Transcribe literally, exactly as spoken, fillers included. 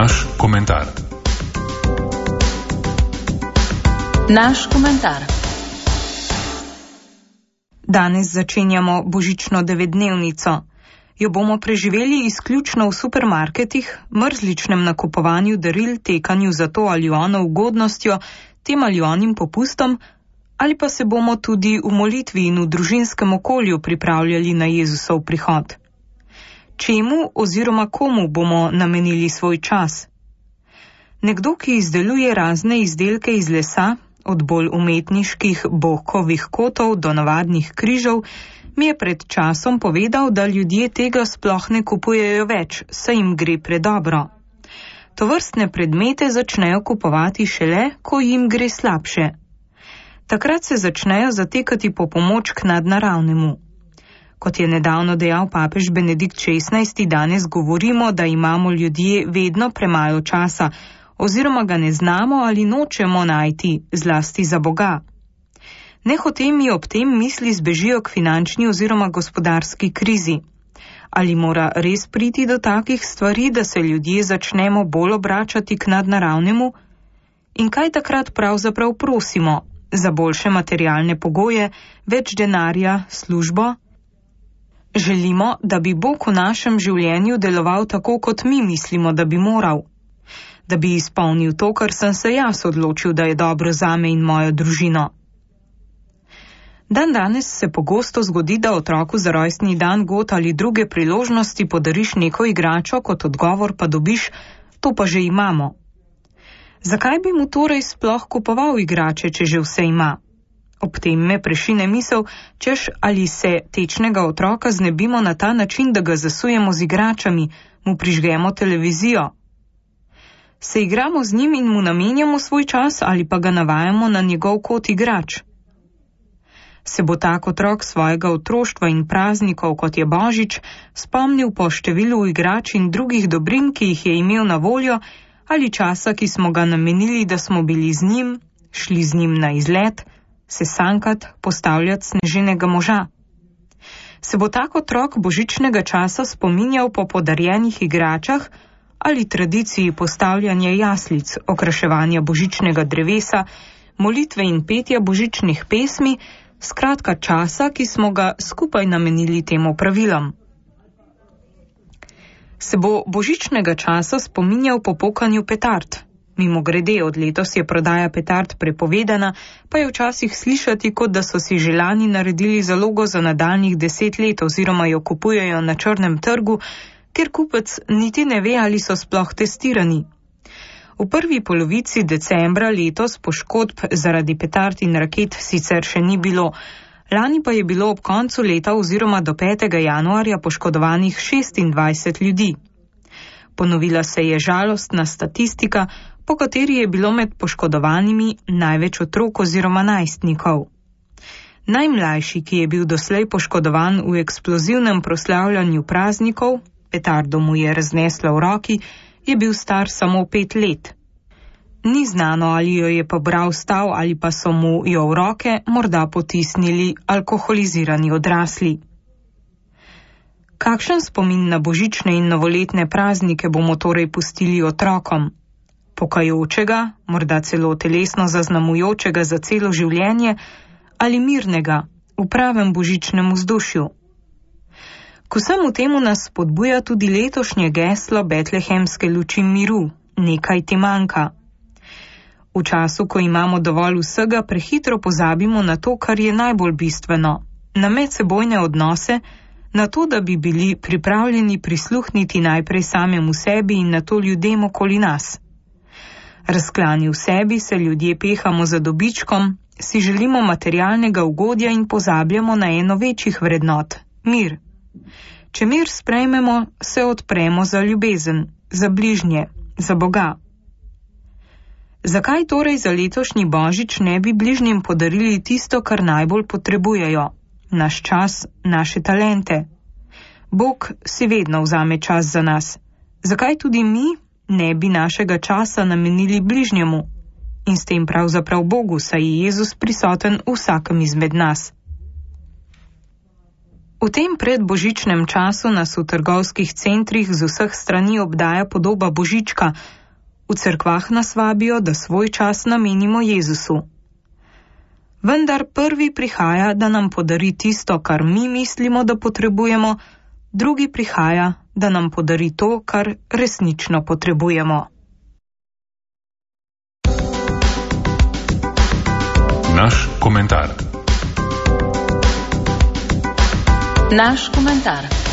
Naš komentar. Naš komentar. Danes začenjamo božično devetdnevnico. Jo bomo preživeli izključno v supermarketih, mrzličnem nakupovanju daril, tekanju za to ali ono ugodnostjo, tem ali onim popustom, ali pa se bomo tudi v molitvi in v družinskem okolju pripravljali na Jezusov prihod. Čemu oziroma komu bomo namenili svoj čas? Nekdo, ki izdeluje razne izdelke iz lesa, od bolj umetniških bokovih kotov do navadnih križev, mi je pred časom povedal, da ljudje tega sploh ne kupujejo več, saj jim gre predobro. Tovrstne predmete začnejo kupovati šele, ko jim gre slabše. Takrat se začnejo zatekati po pomoč k nadnaravnemu. Kot je nedavno dejal papež Benedikt šestnajsti, danes govorimo, da imamo ljudje vedno premalo časa, oziroma ga ne znamo ali nočemo najti, zlasti za Boga. Nehote mi ob tem misli zbežijo k finančni oziroma gospodarski krizi. Ali mora res priti do takih stvari, da se ljudje začnemo bolj obračati k nadnaravnemu? In kaj takrat pravzaprav prosimo? Za boljše materialne pogoje, več denarja, službo? Želimo, da bi Bog v našem življenju deloval tako, kot mi mislimo, da bi moral. Da bi izpolnil to, kar sem se jaz odločil, da je dobro zame in mojo družino. Dan danes se pogosto zgodi, da otroku za rojstni dan, god ali druge priložnosti podariš neko igračo, kot odgovor pa dobiš, to pa že imamo. Zakaj bi mu torej sploh kupoval igrače, če že vse ima? Ob tem me prešine misel, češ ali se tečnega otroka znebimo na ta način, da ga zasujemo z igračami, mu prižgemo televizijo. Se igramo z njim in mu namenjamo svoj čas ali pa ga navajamo na njegov kot igrač? Se bo tak otrok svojega otroštva in praznikov, kot je Božič, spomnil po številu igrač in drugih dobrin, ki jih je imel na voljo, ali časa, ki smo ga namenili, da smo bili z njim, šli z njim na izlet, se sankat, postavljati sneženega moža? Se bo tak otrok božičnega časa spominjal po podarjenih igračah ali tradiciji postavljanja jaslic, okraševanja božičnega drevesa, molitve in petja božičnih pesmi, skratka časa, ki smo ga skupaj namenili temu pravilom? Se bo božičnega časa spominjal po pokanju petard? Mimo grede, od letos je prodaja petard prepovedana, pa je včasih slišati, kot da so si že lani naredili zalogo za nadaljnjih deset let oziroma jo kupujejo na črnem trgu, ker kupec niti ne ve, ali so sploh testirani. V prvi polovici decembra letos poškodb zaradi petard in raket sicer še ni bilo, lani pa je bilo ob koncu leta oziroma do petega januarja poškodovanih šestindvajset ljudi. Ponovila se je žalostna statistika, po kateri je bilo med poškodovanimi največ otrok oziroma najstnikov. Najmlajši, ki je bil doslej poškodovan v eksplozivnem proslavljanju praznikov, petardo mu je raznesla v roki, je bil star samo pet let. Ni znano, ali jo je pobral stav ali pa so mu jo v roke morda potisnili alkoholizirani odrasli. Kakšen spomin na božične in novoletne praznike bomo torej pustili otrokom? Pokajočega, morda celo telesno zaznamujočega za celo življenje, ali mirnega, v pravem božičnem vzdušju? K vsemu temu nas spodbuja tudi letošnje geslo betlehemske luči miru, nekaj ti manjka. V času, ko imamo dovolj vsega, prehitro pozabimo na to, kar je najbolj bistveno, na medsebojne odnose, na to, da bi bili pripravljeni prisluhniti najprej samemu sebi in na to ljudem okoli nas. Razklani v sebi se ljudje pehamo za dobičkom, si želimo materialnega ugodja in pozabljamo na eno večjih vrednot, mir. Če mir sprejmemo, se odpremo za ljubezen, za bližnje, za Boga. Zakaj torej za letošnji božič ne bi bližnjim podarili tisto, kar najbolj potrebujejo? Naš čas, naše talente. Bog si vedno vzame čas za nas. Zakaj tudi mi ne bi našega časa namenili bližnjemu? In s tem pravzaprav Bogu, saj je Jezus prisoten v vsakem izmed nas. V tem predbožičnem času nas v trgovskih centrih z vseh strani obdaja podoba Božička. V cerkvah nas vabijo, da svoj čas namenimo Jezusu. Vendar prvi prihaja, da nam podari tisto, kar mi mislimo, da potrebujemo, drugi prihaja, da nam podari to, kar resnično potrebujemo. Naš komentar. Naš komentar.